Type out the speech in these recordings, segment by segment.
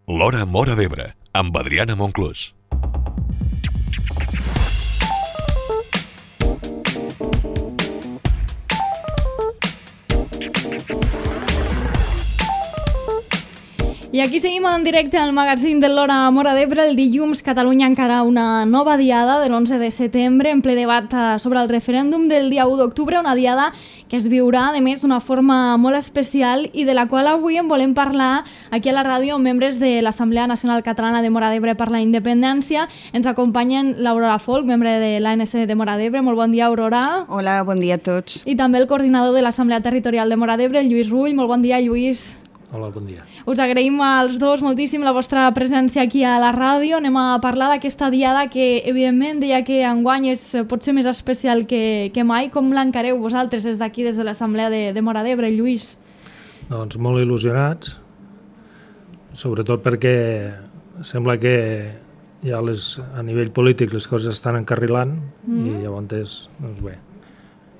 L'Hora Móra d'Ebre, amb Adriana Monclús. I aquí seguim en directe al magazín de l'Hora Móra d'Ebre. El dilluns Catalunya encara una nova diada de l'11 de setembre en ple debat sobre el referèndum del dia 1 d'octubre, una diada que es viurà, a més, d'una forma molt especial i de la qual avui en volem parlar aquí a la ràdio amb membres de l'Assemblea Nacional Catalana de Móra d'Ebre per la Independència. Ens acompanyen l'Aurora Folk, membre de l'ANC de Móra d'Ebre. Molt bon dia, Aurora. Hola, bon dia a tots. I també el coordinador de l'Assemblea Territorial de Móra d'Ebre, Lluís Rull. Molt bon dia, Lluís. Hola, bon dia. Us agraïm als dos moltíssim la vostra presència aquí a la ràdio. Anem a parlar d'aquesta diada que, evidentment, deia que enguany és potser més especial que mai. Com l'encareu vosaltres des d'aquí, des de l'Assemblea de Móra d'Ebre, Lluís? Doncs molt il·lusionats, sobretot perquè sembla que ja a nivell polític les coses estan encarrilant i llavors, doncs bé,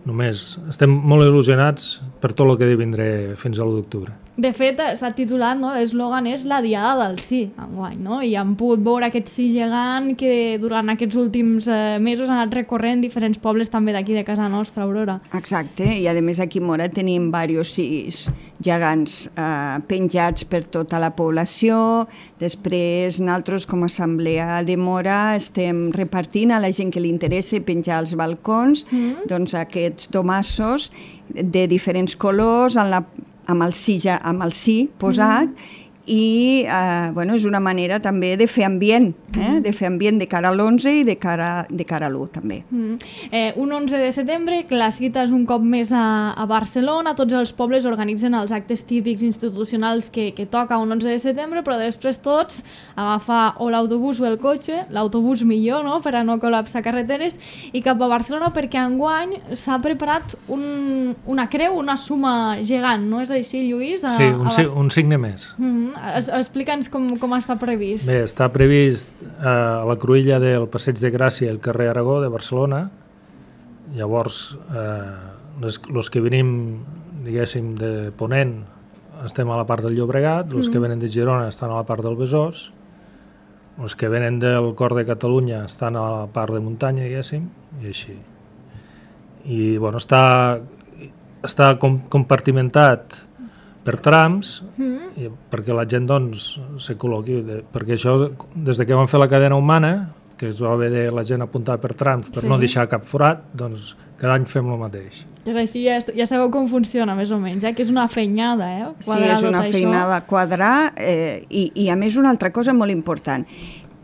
només estem molt il·lusionats per tot el que vindré fins a l'1 d'octubre. De fet, s'ha titulat, no? L'eslògan és la diada del sí, enguany, no? I hem pogut veure aquest sí gegant que durant aquests últims mesos ha anat recorrent diferents pobles també d'aquí de casa nostra, Aurora. Exacte, i a més aquí a Móra tenim diversos sís gegants penjats per tota la població. Després nosaltres com a Assemblea de Móra estem repartint a la gent que li interessa penjar als balcons doncs aquests domassos de diferents colors amb el sí posat i és una manera també de fer ambient, de fer ambient de cara a l'11 i de cara a l'1 també. Un 11 de setembre, que la cita és un cop més a Barcelona, tots els pobles organitzen els actes típics institucionals que toca un 11 de setembre, però després tots agafar o l'autobús o el cotxe, l'autobús millor, no?, per a no col·lapsar carreteres, i cap a Barcelona perquè enguany s'ha preparat una creu, una suma gegant, no és així, Lluís? Sí, un signe més. Explica'ns com està previst. Bé, està previst a la cruïlla del Passeig de Gràcia al carrer Aragó de Barcelona. Llavors, els que venim, diguéssim, de Ponent estem a la part del Llobregat, els que venen de Girona estan a la part del Besòs, els que venen del Cor de Catalunya estan a la part de muntanya, diguéssim, i així. I, bueno, està compartimentat per trams, perquè la gent doncs se col·loqui, perquè això, des que vam fer la cadena humana, que es va haver de la gent apuntar per trams per no deixar cap forat, doncs cada any fem el mateix. És així, ja sabeu com funciona més o menys, que és una feinada, Sí, és una feinada quadrar i a més una altra cosa molt important,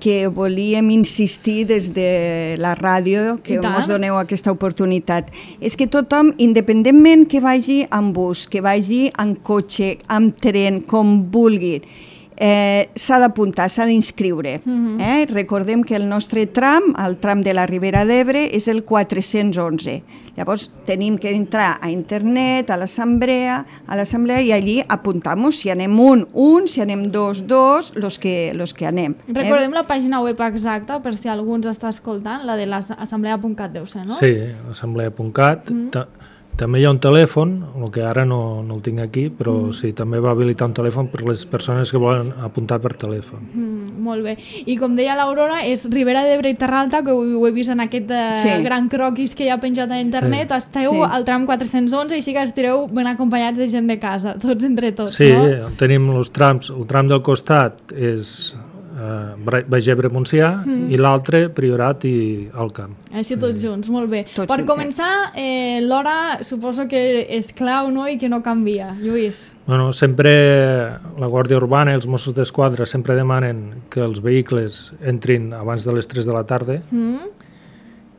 que volíem insistir des de la ràdio, que ens doneu aquesta oportunitat. És que tothom, independentment que vagi amb bus, que vagi en cotxe, amb tren, com vulgui, s'ha d'apuntar, s'ha d'inscriure. Recordem que el nostre tram, el tram de la Ribera d'Ebre, és el 411. Llavors tenim que entrar a internet, a l'assemblea i allí apuntar-nos si anem un, si anem dos, los que anem. Recordem la pàgina web exacta per si algú ens està escoltant, la de l'assemblea.cat deu ser, no? Sí, assemblea.cat. També hi ha un telèfon, el que ara no el tinc aquí, però sí, també va habilitar un telèfon per les persones que volen apuntar per telèfon. Molt bé. I com deia l'Aurora, és Ribera d'Ebre i Terra Alta, que ho he vist en aquest gran croquis que hi ha penjat a internet. Esteu al tram 411 i així que estireu ben acompanyats de gent de casa, tots entre tots, no? Sí, tenim els trams. El tram del costat és Baix Ebre-Montsià i l'altre Priorat i Alt Camp. Així tots junts, molt bé. Per començar, l'hora suposo que és clau, no?, i que no canvia. Lluís. Bueno, sempre la Guàrdia Urbana i els Mossos d'Esquadra sempre demanen que els vehicles entrin abans de les 3 de la tarda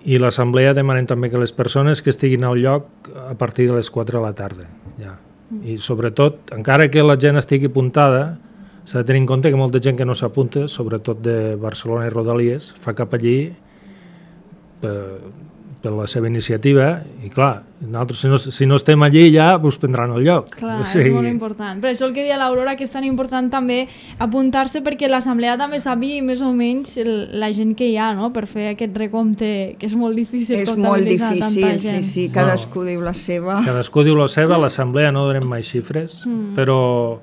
i l'Assemblea demanen també que les persones que estiguin al lloc a partir de les 4 de la tarda. I sobretot, encara que la gent estigui apuntada, s'ha de tenir en compte que molta gent que no s'apunta, sobretot de Barcelona i Rodalies, fa cap allí per la seva iniciativa i clar, nosaltres si no estem allí ja us prendran el lloc. Clar, és molt important. Per això el que deia l'Aurora, que és tan important també apuntar-se perquè l'assemblea també sàpiga més o menys la gent que hi ha, no?, per fer aquest recompte, que és molt difícil comptabilitzar tanta gent. Sí, cadascú diu la seva. Cadascú diu la seva, a l'assemblea no donem mai xifres, però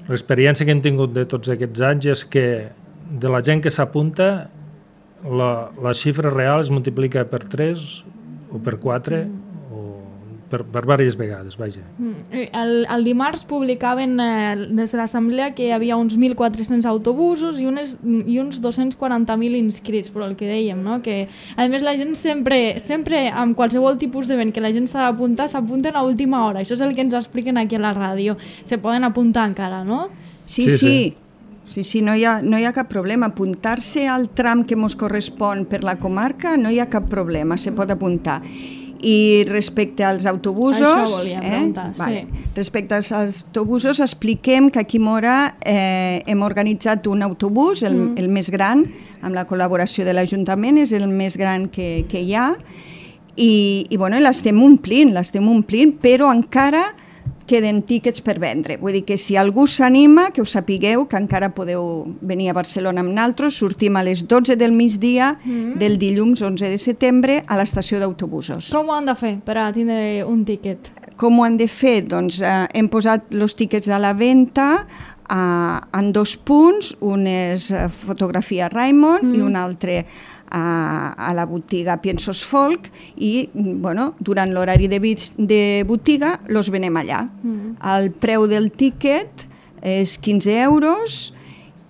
l'experiència que hem tingut de tots aquests anys és que de la gent que s'apunta, la xifra real es multiplica per 3 o per 4 o per diverses vegades, vaja. El dimarts publicaven des de l'Assemblea que hi havia uns 1.400 autobusos i uns 240.000 inscrits, però el que dèiem, no? Que a més la gent sempre amb qualsevol tipus d'event que la gent s'ha d'apuntar, s'apunten a última hora. Això és el que ens expliquen aquí a la ràdio. Se poden apuntar encara, no? Sí, no hi ha cap problema. Apuntar-se al tram que ens correspon per la comarca no hi ha cap problema, se pot apuntar. I respecte als autobusos... Això volia preguntar, sí. Respecte als autobusos, expliquem que aquí a Móra hem organitzat un autobús, el més gran, amb la col·laboració de l'Ajuntament, és el més gran que hi ha, i l'estem omplint, però encara queden tíquets per vendre. Vull dir que si algú s'anima, que us sapigueu que encara podeu venir a Barcelona amb naltros. Sortim a les 12 del migdia del dilluns 11 de setembre a l'estació d'autobusos. Com ho han de fer per a tindre un tíquet? Com ho han de fer? Doncs hem posat els tíquets a la venda en 2 punts. Un és Fotografia Raimon i un altre a la botiga Piensos Folk i durant l'horari de botiga los venem allà. El preu del tíquet és 15 euros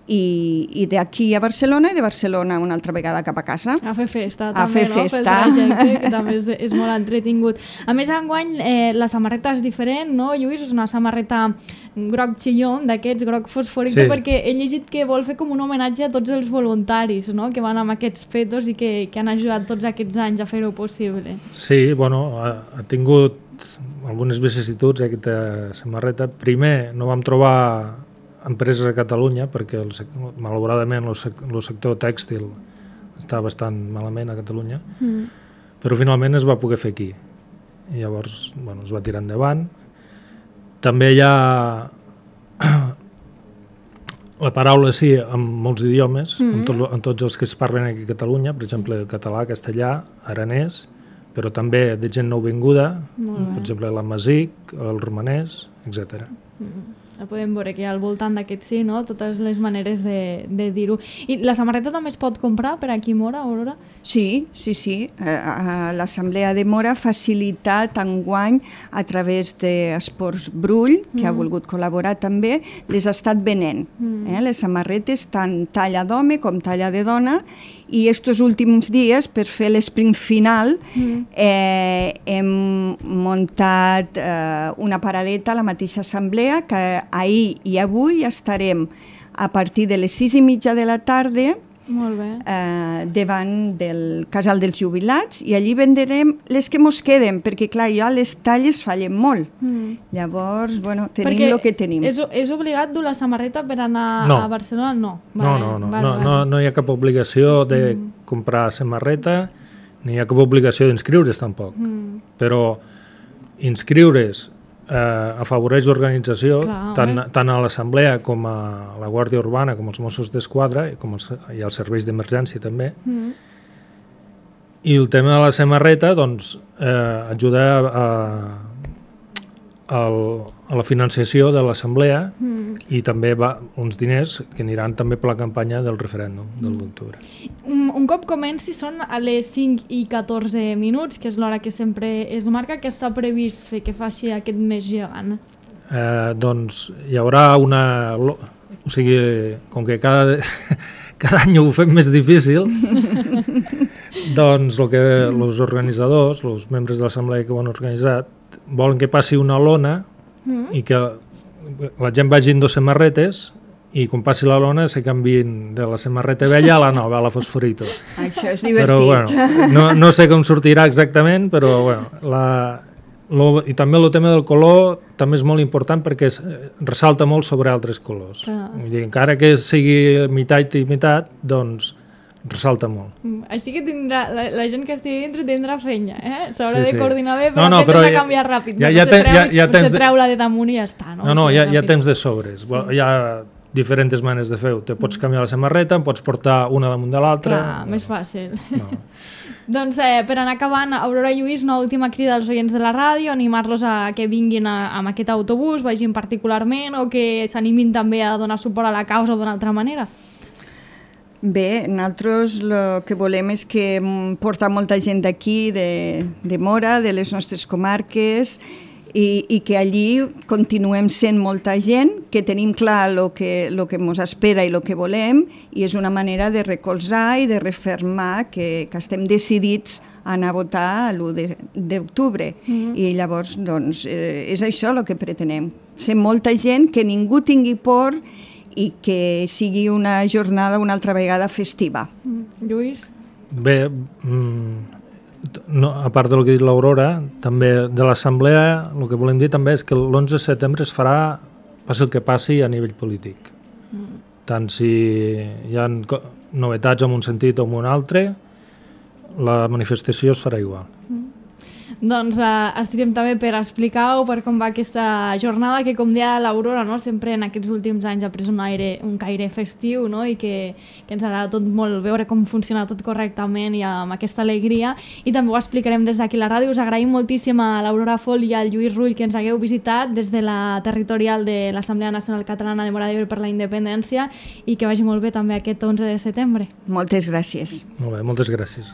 i d'aquí a Barcelona i de Barcelona una altra vegada cap a casa. A fer festa també, pel trajecte, que també és molt entretingut. A més, enguany la samarreta és diferent, no, Lluís? És una samarreta groc xillón, d'aquests, groc fosfòric, perquè he llegit que vol fer com un homenatge a tots els voluntaris, no?, que van amb aquests fetos i que han ajudat tots aquests anys a fer-ho possible. Sí, ha tingut algunes vicissituds aquesta samarreta. Primer, no vam trobar empreses a Catalunya, perquè malauradament el sector tèxtil està bastant malament a Catalunya, però finalment es va poder fer aquí. I llavors es va tirar endavant. També hi ha la paraula sí en molts idiomes, en tots els que es parlen aquí a Catalunya, per exemple català, castellà, aranès, però també de gent nouvinguda, per exemple l'amazic, el romanès, etc. La podem veure que al voltant d'aquest sí, no? Totes les maneres de dir-ho. I la samarreta també es pot comprar per aquí a Móra, Aurora? Sí. L'Assemblea de Móra ha facilitat enguany a través d'Esports Brull, que ha volgut col·laborar també, les ha estat venent. Les samarretes, tant talla d'home com talla de dona, i estos últims dies, per fer l'esprint final, hem muntat una paradeta a la mateixa assemblea que ahir i avui estarem a partir de les 6:30 de la tarda davant del casal dels jubilats i allí vendrem les que mos queden, perquè clar, jo les talles fallen molt. Llavors, tenim el que tenim. És obligat dur la samarreta per anar a Barcelona? No hi ha cap obligació de comprar samarreta, ni hi ha cap obligació d'inscriure's tampoc. Però inscriure's afavoreix l'organització, tant a l'Assemblea com a la Guàrdia Urbana, com els Mossos d'Esquadra i els serveis d'emergència també. I el tema de la samarreta ajuda a la financiació de l'Assemblea i també uns diners que aniran també per la campanya del referèndum del d'octubre. Un cop comenci són a les 5:14, que és l'hora que sempre es marca. Què està previst fer que faci aquest mes gegant? Doncs hi haurà una... O sigui, com que cada any ho fem més difícil, doncs els organitzadors, els membres de l'Assemblea que ho han organitzat, volen que passi una lona i que la gent vagi en 2 samarretes i quan passi la lona se canviïn de la samarreta vella a la nova, a la fosforito. Això és divertit. Però no sé com sortirà exactament, però i també el tema del color també és molt important perquè ressalta molt sobre altres colors. Vull dir, encara que sigui meitat i meitat, doncs ressalta molt. Així que la gent que estigui dintre tindrà feina, s'haurà de coordinar bé, però aquest s'ha canviat ràpid. Se treu la de damunt i ja està. No, hi ha temps de sobres. Hi ha diferents maneres de fer-ho. Te pots canviar la samarreta, en pots portar una damunt de l'altra... Clar, més fàcil. No. Doncs per anar acabant, Aurora i Lluís, una última crida als oients de la ràdio, animar-los a que vinguin amb aquest autobús, vagin particularment, o que s'animin també a donar suport a la causa d'una altra manera. Bé, nosaltres el que volem és que portar molta gent d'aquí, de Móra, de les nostres comarques, i que allí continuem sent molta gent, que tenim clar el que ens espera i el que volem, i és una manera de recolzar i de refermar que estem decidits a anar a votar l'1 d'octubre. I llavors, doncs, és això el que pretenem. Ser molta gent, que ningú tingui por i que sigui una jornada una altra vegada festiva. Lluís? Bé, no, a part del que ha dit l'Aurora, també de l'Assemblea, el que volem dir també és que l'11 de setembre es farà, passi el que passi, a nivell polític. Tant si hi ha novetats en un sentit o en un altre, la manifestació es farà igual. Doncs estirem també per explicar-ho, per com va aquesta jornada, que com deia l'Aurora, no? Sempre en aquests últims anys ha pres un caire festiu, no? I que ens agrada tot molt veure com funciona tot correctament i amb aquesta alegria, i també ho explicarem des d'aquí la ràdio. Us agraïm moltíssim a l'Aurora Fol i al Lluís Rull que ens hagueu visitat des de la territorial de l'Assemblea Nacional Catalana de Móra d'Ebre per la Independència, i que vagi molt bé també aquest 11 de setembre. Moltes gràcies. Molt bé, moltes gràcies.